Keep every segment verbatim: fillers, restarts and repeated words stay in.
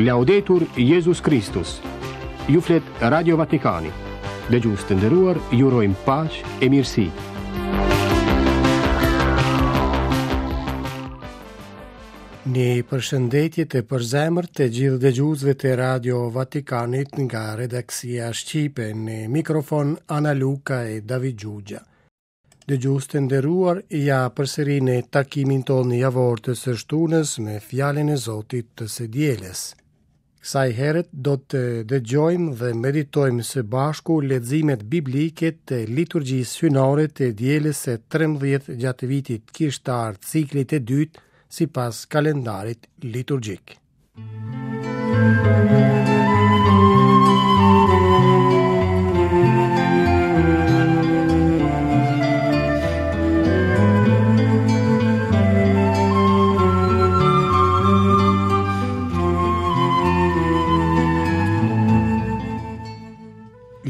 Laudetur Jezus Kristus. Ju flet Radio Vatikani. Dëgjues të nderuar, ju urojmë paqe e mirësi. Një përshëndetje të përzemërt të gjithë dëgjuesve të Radio Vatikanit nga redaksia shqipe në mikrofon Ana Luka e David Gjugja. Dëgjues të nderuar, ja përsëri në takimin tonë javor të së shtunës me fjalën e Zotit të së dielës. Kësaj here do të dëgjojmë dhe meditojmë së bashku leximet biblike të liturgjisë hyjnore të dielës së trembëdhjetë gjatë vitit kishtar ciklit të dytë sipas kalendarit liturgjik.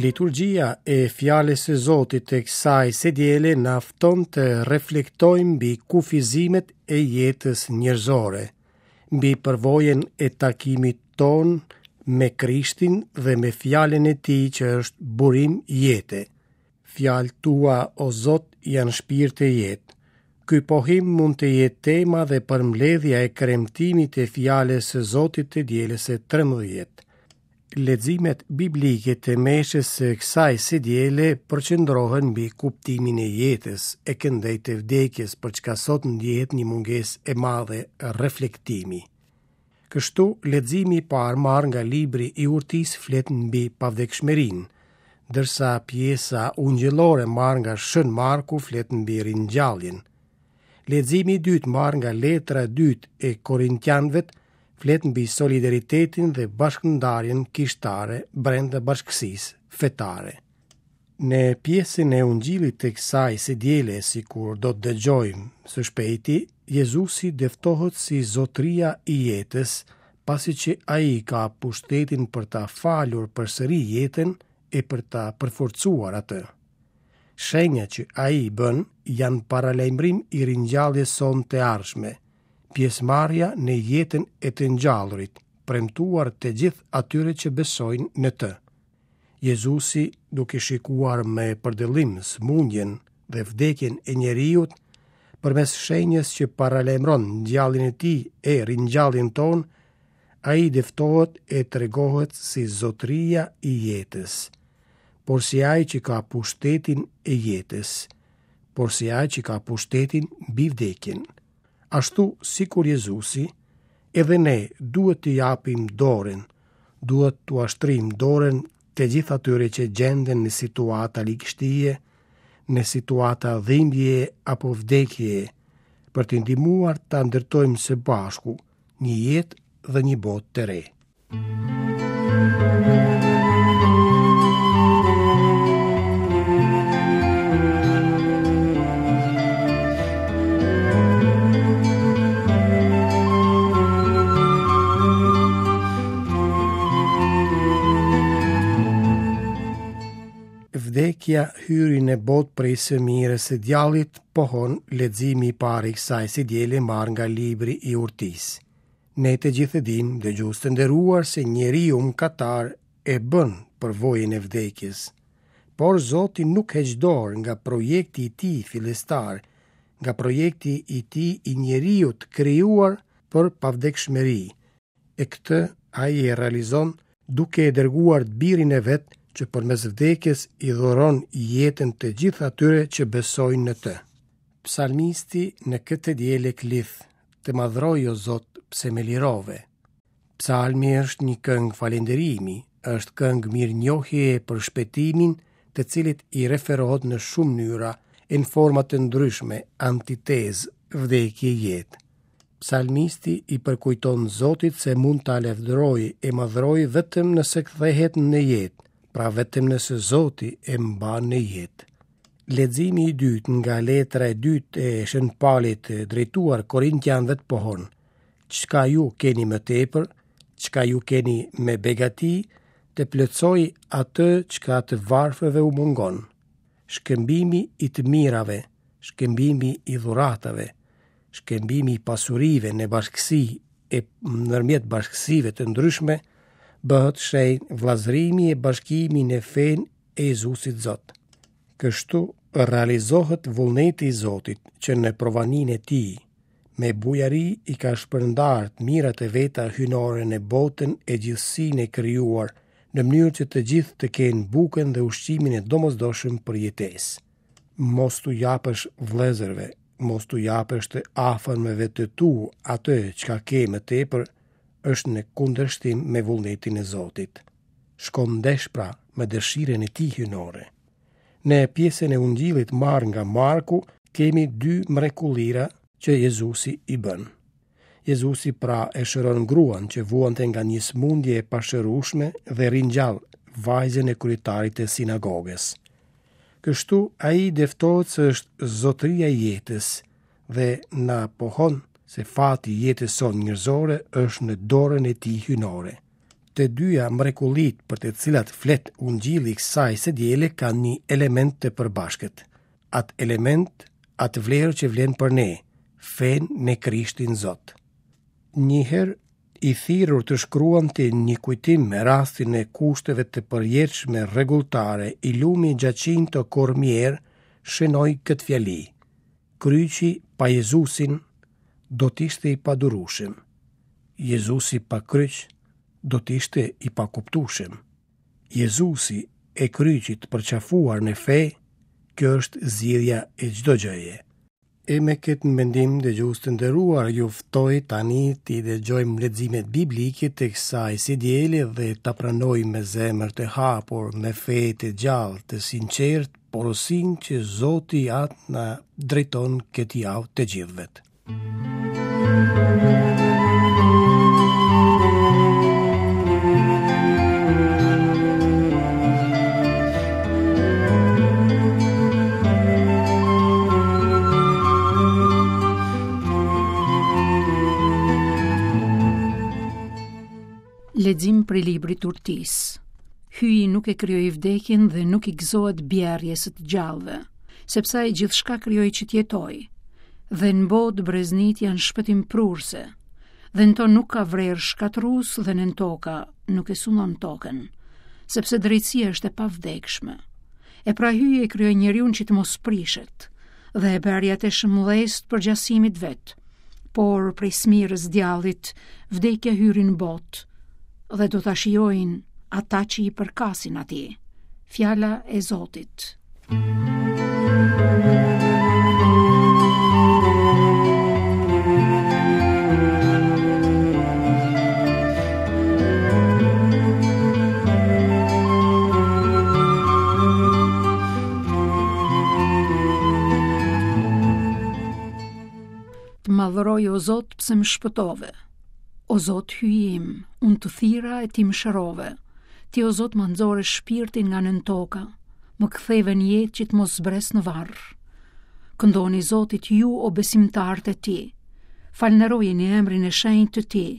Liturgjia e fjalës së Zotit të kësaj së diele na fton të reflektojmë mbi kufizimet e jetës njerëzore, mbi përvojën e takimit ton me Krishtin dhe me fjalën e tij që është burim jete. Fjalët tua, o Zot, janë shpirt e jetë. Ky pohim mund të jetë tema dhe përmbledhja e kremtimit të fjalës së Zotit të dielës së trembëdhjetë. Leximet biblike të meshës së kësaj së diele përqendrohen mbi kuptimin e jetës e këndej të vdekjes, për çka sot ndjehet një mungesë e madhe reflektimi. Kështu, leximi i parë marrë nga libri i urtisë flet mbi pavdekshmërinë, ndërsa pjesa ungjillore marrë nga Shën Marku flet mbi ringjalljen. Leximi i dytë marrë nga letra e dytë e Korintianëve flet mbi solidaritetin dhe bashkëndarjen kishtare brenda bashkësisë fetare. Në pjesën e ungjillit të kësaj së diele, sikur do të dëgjojmë së shpejti, Jezusi dëftohet si zotëria i jetës, pasi që ai ka pushtetin për ta falur përsëri jetën e për ta përforcuar atë. Shenja që ai bën janë paralajmërim i ringjalljes sonë të ardhshme, pjesëmarrja në jetën e të ngjallurit, premtuar të gjithë atyre që besojnë në të. Jezusi, duke shikuar me përdëllim sëmundjen dhe vdekjen e njeriut, përmes shenjës që paralajmëron ngjalljen e tij e ringjalljen tonë, ai dëftohet e tregohet si zotëria i jetës, por si ai që ka pushtetin e jetës, por si ai që ka pushtetin mbi vdekjen. Ashtu sikur Jezusi, edhe ne duhet të japim dorën, duhet t'ua shtrim dorën të gjithë atyre që gjenden në situata ligështie, në situata dhimbjeje apo vdekjeje, për t'i ndihmuar ta ndërtojmë së bashku një jetë dhe një botë të re. Vdekja hyri në botë prej së mirës së djallit, pohon leximi i parë i kësaj së diele marrë nga libri i urtisë. Ne të gjithë e dimë, dëgjues të nderuar, se njeriu mëkatar e bën përvojën e vdekjes. Por Zoti nuk heq dorë nga projekti i tij fillestar, nga projekti i tij i njeriut krijuar për pavdekshmëri. E këtë ai e realizon duke e dërguar birin e vet që përmes vdekjes i dhuron jetën të gjithë atyre që besojnë në të. Psalmisti në këtë diele klith, të madhroj o Zot, pse me lirove. Psalmi është një këngë falënderimi, është këngë mirënjohjeje për shpëtimin, të cilit i referohet në shumë mënyra, e në forma të ndryshme, antitezë, vdekje, jetë. Psalmisti i përkujton Zotit se mund ta lavdërojë e madhrojë vetëm nëse kthehet në jetë, pra vetëm nëse Zoti e mban në jetë. Leximi i dytë nga letra e dytë e Shën Palit drejtuar Korintianëve pohon: Çka ju keni më tepër, çka ju keni me begati, të plotësoj atë çka të varfërve u mungon. Shkëmbimi i të mirave, shkëmbimi i dhuratave, shkëmbimi i pasurive në bashkësi e ndërmjet bashkësive të ndryshme, bëhet shenjë vëllazërimi e bashkimi në fenë e Jezusit Zot. Kështu realizohet vullneti i Zotit që në provaninë e tij, me bujari i ka shpërndarë të mirat e veta hyjnore në botën e gjithësinë e krijuar, në mënyrë që të gjithë të kenë bukën dhe ushqimin e domosdoshëm për jetesë. Mos t'u japësh vëllezërve, mos t'u japësh të afërmeve të tu atë çka ke më tepër, është në kundërshtim me vullnetin e Zotit. Shkon ndesh pra me dëshirën e tij hyjnore. Në pjesën e Ungjillit marrë nga Marku kemi dy mrekullira që Jezusi i bën. Jezusi pra e shëron gruan që vuante nga një sëmundje e pashërueshme dhe ringjall vajzën e kryetarit të sinagogës. Kështu ai dëftohet se është zotëria i jetës dhe na pohon se fati i jetës sonë njerëzore është në dorën e tij hyjnore. Të dyja mrekullitë për të cilat flet Ungjilli i kësaj së diele kanë një element të përbashkët. Atë element, atë vlerë që vlen për ne, fenë në Krishtin Zot. Një herë i thirrur të shkruante një kujtim me rastin e kushteve të përjetshme rregulltare, i lumi Giacinto Cormier shënoi këtë fjali: Kryqi pa Jezusin do të ishte i padurueshëm. Jezusi pa kryq do të ishte i pakuptueshëm. Jezusi e kryqi të përqafuar në fe, kjo është zgjidhja e çdo gjëje. E me këtë mendim, dëgjues të nderuar, ju ftoj tani t'i dëgjojmë leximet biblike të kësaj së diele dhe ta pranojmë me zemër të hapur, me fe të gjallë, të sinqertë, porosinë që Zoti Atë na drejton këtë javë të gjithëve. Lexim prej librit Urtis. Hyji nuk e krijoi vdekjen dhe nuk i gëzohet bjerrjes së të gjallëve, sepse ai gjithçka krijoi që të jetojë. Dhe në botë breznit janë shpëtimprurse, dhe në to nuk ka vrer shkatërrues dhe në toka nuk e sundon tokën, sepse drejtësia është e pavdekshme. E pra Hyji e krijoi njeriun që të mos prishet, dhe e bëri atë shëmllest për gjasimit vet. Por prej smirës djallit, vdekja hyri në botë, dhe do ta shijojnë ata që i përkasin atij. Fjala e Zotit. Të madhëroj, o Zot, pse më shpëtove. O Zot, Hyji im, unë të thira e ti më shërove. Ti, o Zot, më nxore shpirtin nga nën toka, më ktheve në jetë që të mos zbres në varr. Këndoni Zotit ju, o besimtarët e tij. Falënderojeni emrin e shenjtë të tij,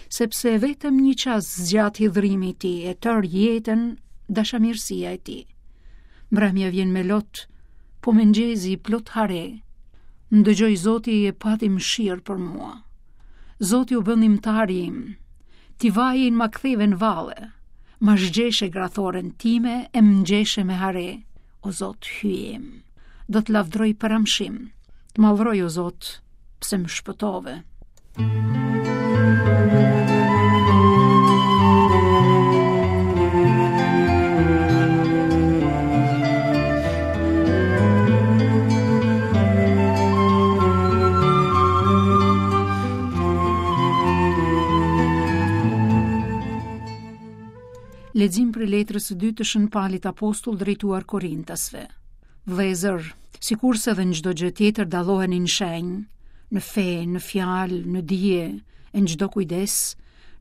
sepse vetëm një çast zgjat hidhrimi i tij e tërë jetën dashamirësia e tij. Mbrëmja vjen me lot, po mëngjezi plot hare. Më dëgjoi Zoti e pati mëshirë për mua. Zoti u bë ndihmëtari im. Ti vajin ma ktheve në valle, ma zhgjeshe grathoren time e më ngjeshe me hare. O Zot, Hyji im, do të lavdroj për amshim. Të madhroj, o Zot, pse më shpëtove. Lexim prej letrës së dytë të Shën Palit Apostull drejtuar Korintasve. Vëllezër, sikurse edhe në çdo gjë tjetër dalloheni në shenjë, në fe, në fjalë, në dije, e në çdo kujdes,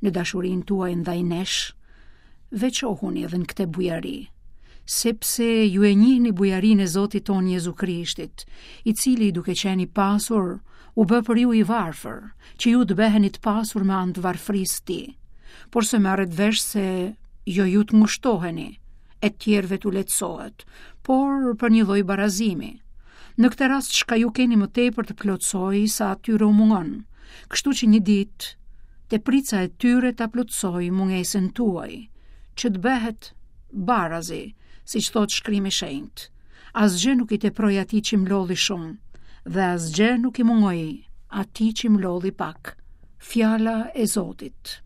në dashurinë tuaj ndaj nesh, veçohuni edhe në këtë bujari, sepse ju e njihni bujarinë e Zotit ton Jezu Krishtit, i cili duke qenë i pasur, u bë për ju i varfër, që ju të bëheni të pasur me anë të varfërisë së tij. Por se merret vesh se jo ju të ngushtoheni, e tjerëve t'u lehtësohet, por për një lloj barazimi. Në këtë rast çka ju keni më tepër të plotësoj sa atyre u mungon, kështu që një ditë Teprica e tyre ta plotësojë mungesën tuaj, që të bëhet barazi, siç thotë shkrimi i shenjtë. Asgjë nuk i teproi atij që mlodhi shumë, dhe asgjë nuk i mungoi atij që mlodhi pak. Fjala e Zotit.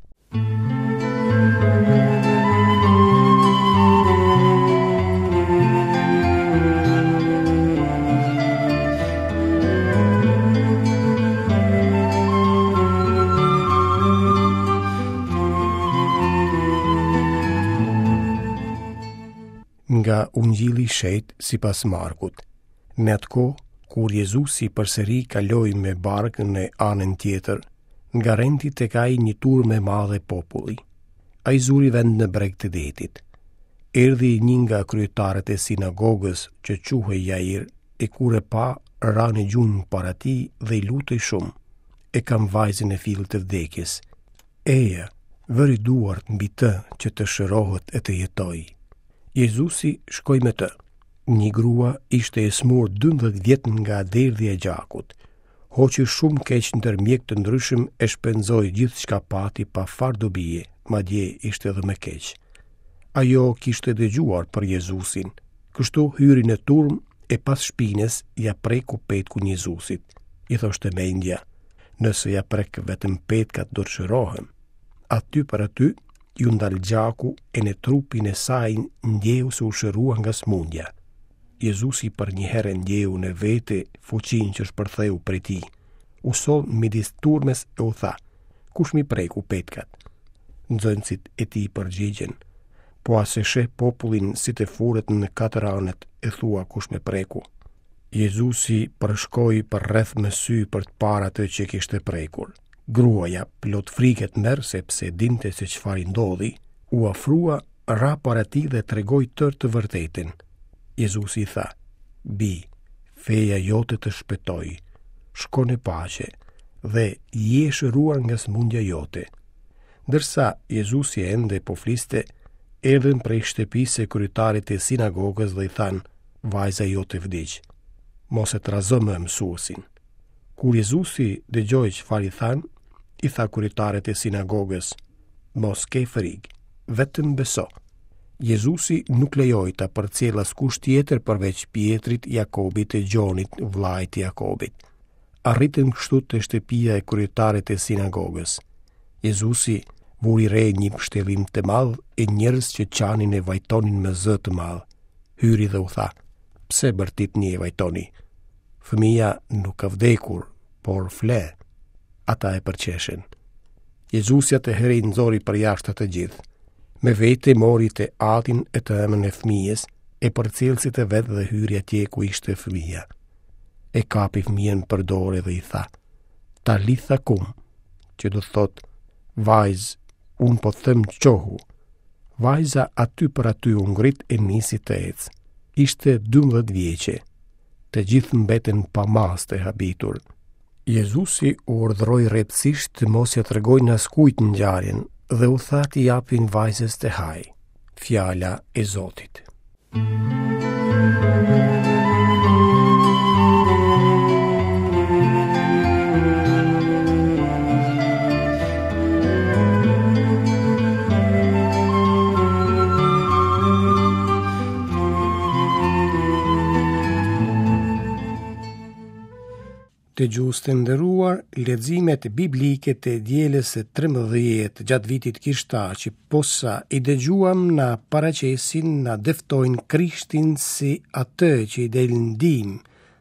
Nga Ungjilli i Shenjtë sipas Markut. Në atë kohë, kur Jezusi përsëri kaloi me barkën në anën tjetër, ngarendti tek ai një turmë e madhe populli. Ai zuri vend në breg të detit. Erdhi një nga kryetarët e sinagogës që quhej Jair, e kur e pa, ra në gjunjë para tij dhe i lutej shumë. E kam vajzën në fill të vdekjes. Eja, vëri duart mbi të që të shërohet e të jetojë. Jezusi shkoi me të. Një grua ishte e smur dymbëdhjetë vjet nga derdhja e gjakut. Hoqi shumë keq ndër mjek të ndryshëm e shpenzoi gjithçka pati pa farë dobie, madje ishte edhe më keq. Ajo kishte dëgjuar për Jezusin. Kështu hyri në turmë e pas shpinës ja preku petkun Jezusit. I thoshte mendja, nëse ja prek vetëm petkat do të shërohem. Aty për aty ju ndal gjaku e në trupin e saj ndjeu se u shërua nga smundja. Jezusi për një herë ndjeu në vete fuqinë që shpërtheu prej tij. U soll midis turmës e u tha, kush mi preku petkat? Nxënësit e tij përgjigjen, po a se sheh popullin si të furet në katër anët e thua kush me preku? Jezusi përshkoi përreth me sy për të parë atë që kishte prekur. Gruaja, plot frikë e tmerr sepse dinte se çfarë i ndodhi, u afrua, ra para tij dhe tregoi tërë të vërtetën. Jezusi i tha, bi, feja jote të shpëtoi, shko në paqe dhe je shëruar nga sëmundja jote. Ndërsa Jezusi ende po fliste, erdhën prej shtëpisë së kryetarit të sinagogës dhe i thanë, vajza jote vdiq, mos e trazo më mësuesin. Kur Jezusi dëgjoi çfarë i thanë, i tha kryetarit të sinagogës, mos ke frikë, vetëm beso. Jezusi nuk lejoi ta përcjellë askush tjetër përveç Pietrit, Jakobit e Gjonit, vllait të Jakobit. Arritën kështu te shtëpia e kryetarit të sinagogës. Jezusi vuri re një pështellim të madh e njerëz që qanin e vajtonin me zë të madh. Hyri dhe u tha, pse bërtitni e vajtoni? Fëmija nuk ka vdekur, por fle. Ata e përqeshen. Jezusi atëherë i nxori përjashta të gjithë. Me vete mori të atin e të ëmën e fëmijës, e përcjellësit e vet dhe hyri atje ku ishte fëmija. E kapi fëmijën për dore dhe i tha, Talitha kum, që do thotë, vajzë, unë po them çohu. Vajza aty për aty u ngrit e nisi të ecë. Ishte dymbëdhjetë vjeçe. Të gjithë mbeten pa masë të habitur. Jezusi u urdhëroi rreptësisht të mos ja tregojnë askujt ngjarjen dhe u tha t'i japin vajzës të hajë. Fjala e Zotit. Dëgjues të nderuar, leximet biblike të dielës së trembëdhjetë gjatë vitit kishtar që posa i dëgjuam na paraqesin, na dëftojnë Krishtin si atë që i del ndihmë,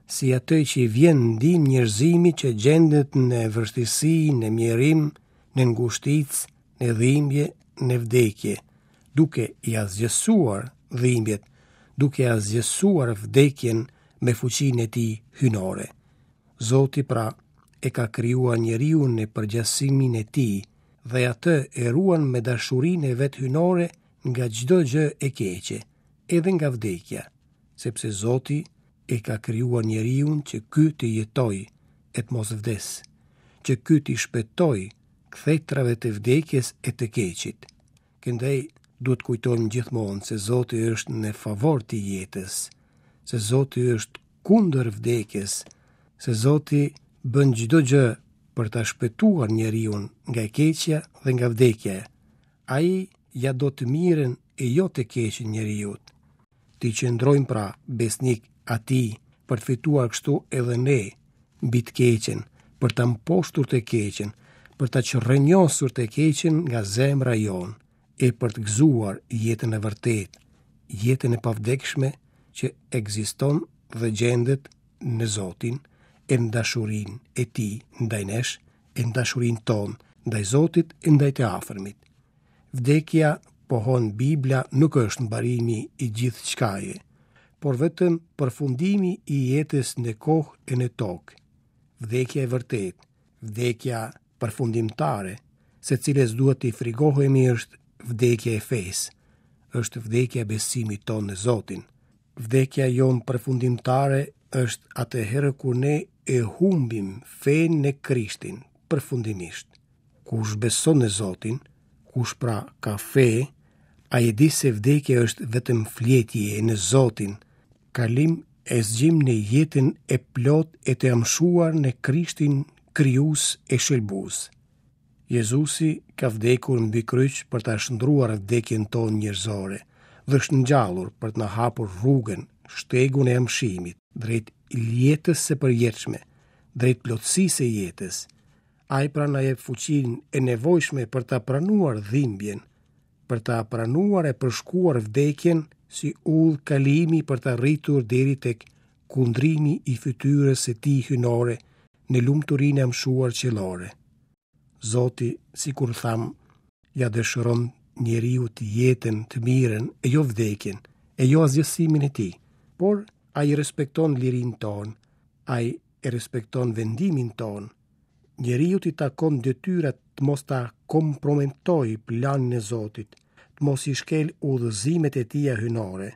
si atë që i vjen ndihmë njerëzimit që gjendet në vështirësi, në mjerim, në ngushticë, në dhimbje, në vdekje, duke i asgjësuar dhimbjet, duke asgjësuar vdekjen me fuqinë e tij hyjnore. Zoti pra e ka krijuar njeriun në përgjasimin e tij dhe atë e ruan me dashurinë e vet hyjnore nga çdo gjë e keqe, edhe nga vdekja, sepse Zoti e ka krijuar njeriun që ky të jetojë e të mos vdesë, që ky t'i shpëtojë kthetrave të vdekjes e të keqit. Këndej duhet kujtojmë gjithmonë se Zoti është në favor të jetës, se Zoti është kundër vdekjes, se Zoti bën çdo gjë për ta shpëtuar njeriun nga e keqja dhe nga vdekja. Ai ia do të mirën e jo të keqen njeriut. T'i qëndrojmë pra besnik atij për të fituar kështu edhe ne mbi të keqen, për ta mposhtur të keqen, për ta çrrënjosur të keqen nga zemra jonë e për të gëzuar jetën e vërtetë, jetën e pavdekshme që ekziston dhe gjendet në Zotin e në dashurinë e Tij ndaj nesh, e në dashurinë tonë ndaj Zotit e ndaj të afërmit. Vdekja, pohon Bibla, nuk është mbarimi i gjithçkaje, por vetëm përfundimi i jetës në kohë e në tokë. Vdekja e vërtetë, vdekja përfundimtare, se cilës duhet t'i frigohemi, është vdekja e fesë, është vdekja e besimit tonë në Zotin. Vdekja jonë përfundimtare është atëherë kur ne e humbim fenë në Krishtin përfundimisht. Kush beson në Zotin, kush pra ka fe, ai e di se vdekja është vetëm fletje në Zotin, kalim e zgjim në jetën e plot e të amshuar në Krishtin krijues e shëlbues. Jezusi ka vdekur mbi kryq për ta shndruar vdekjen tonë njerëzore dhe është ngjallur për të na hapur rrugën, shtegun e amshimit, drejt jetës së përjetshme, drejt plotësisë së jetës. Ai pra na jep fuqinë e nevojshme për ta pranuar dhimbjen, për ta pranuar e përshkuar vdekjen si udhë kalimi për ta rritur deri tek kundrimi i fytyrës së tij hyjnore në lumturinë e amshuar qiellore. Zoti, sikur tham, ja dëshiron njeriut jetën të mirën e jo vdekjen, e jo asgjësimin e tij, por ai respekton lirinë tonë, ai e respekton vendimin tonë. Njeriut i takon detyra të mos ta kompromentojë planin e Zotit, të mos i shkel udhëzimet e tija hyjnore,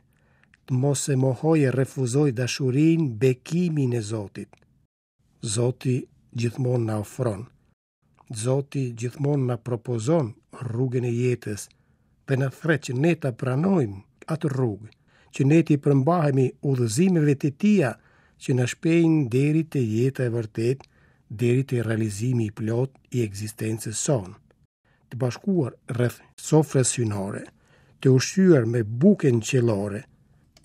të mos e mohojë e refuzojë dashurinë, bekimin e Zotit. Zoti gjithmonë na ofron, Zoti gjithmonë na propozon rrugën e jetës dhe na thret që ne ta pranojmë atë rrugë, që ne t'i përmbahemi udhëzimeve të tija që na shpejnë deri te jeta e vërtetë, deri te realizimi i plotë i ekzistencës sonë. Të bashkuar rreth sofrës hyjnore, të ushqyer me bukën qiellore,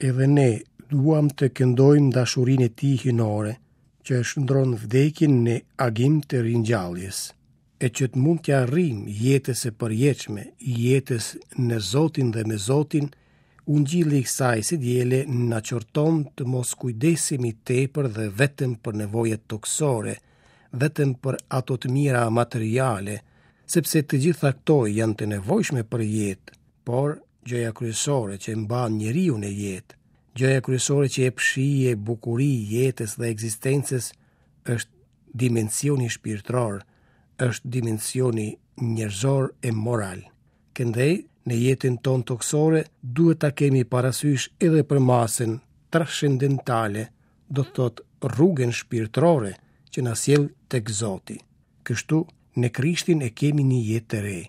edhe ne duam të këndojmë dashurinë e tij hyjnore, që e shndron vdekjen në agim të ringjalljes, e që të mund t'ia arrijmë jetës së përjetshme, jetës në Zotin dhe me Zotin, Ungjilli i kësaj së diele na qorton të mos kujdesemi tepër dhe vetëm për nevojat tokësore, vetëm për ato të mira materiale, sepse të gjitha këto janë të nevojshme për jetë, por gjëja kryesore që mban njeriu në jetë, gjëja kryesore që jep shije, bukuri jetës dhe ekzistencës është dimensioni shpirtëror, është dimensioni njerëzor e moral. Këndej, në jetën tonë tokësore duhet ta kemi parasysh edhe për masën transcendentale, do të thotë rrugën shpirtërore që na sjell tek Zoti. Kështu, në Krishtin e kemi një jetë të re,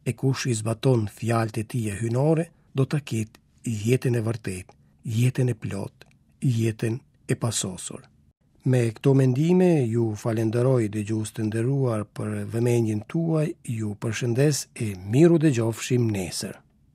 e kush i zbaton fjalët e tij hyjnore, do ta ketë jetën e vërtetë, jetën e plotë, jetën e pasosur. Me këto mendime ju falenderoj dëgjues të nderuar për vëmendjen tuaj, ju përshëndes e miru dëgjofshim nesër.